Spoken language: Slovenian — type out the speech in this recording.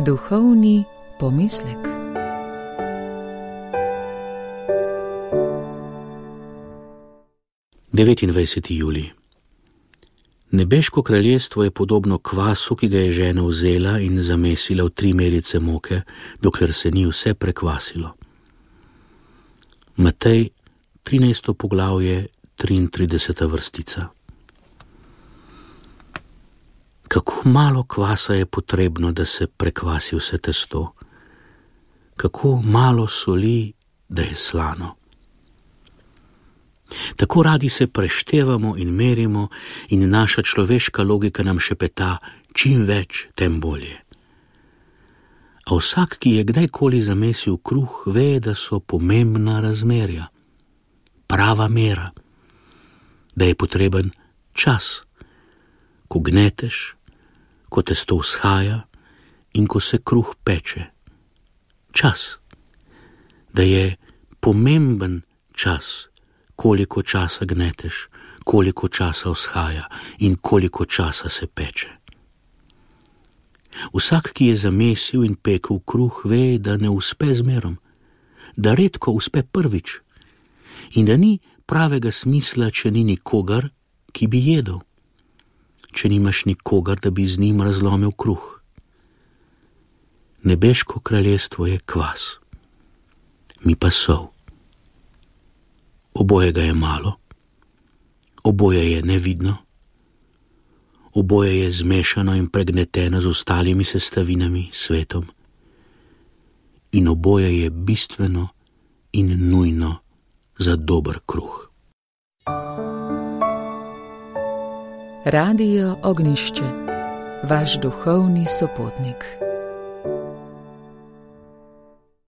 Duhovni pomislek. Devetindvajseti julij. Nebeško kraljestvo je podobno kvasu, ki ga je žena vzela in zamesila v 3 merice moke, dokler se ni vse prekvasilo. Matej, 13. poglavje, 33. vrstica. Kako malo kvasa je potrebno, da se prekvasi vse testo. Kako malo soli, da je slano. Tako radi se preštevamo in merimo in naša človeška logika nam šepeta, čim več, tem bolje. A vsak, ki je kdajkoli zamesil kruh, ve, da so pomembna razmerja, prava mera, da je potreben čas, ko gneteš, ko testo vzhaja in ko se kruh peče. Čas, da je pomemben čas, koliko časa gneteš, koliko časa vzhaja in koliko časa se peče. Vsak, ki je zamesil in pekel kruh, ve, da ne uspe zmerom, da redko uspe prvič in da ni pravega smisla, če ni nikogar, ki bi jedel, če nimaš nikogar, da bi z njim razlomil kruh. Nebeško kraljestvo je kvas, mi pa sol. Obojega je malo, oboje je nevidno, oboje je zmešano in pregneteno z ostalimi sestavinami, svetom, in oboje je bistveno in nujno za dober kruh. Radio Ognjišče, vaš duhovni sopotnik.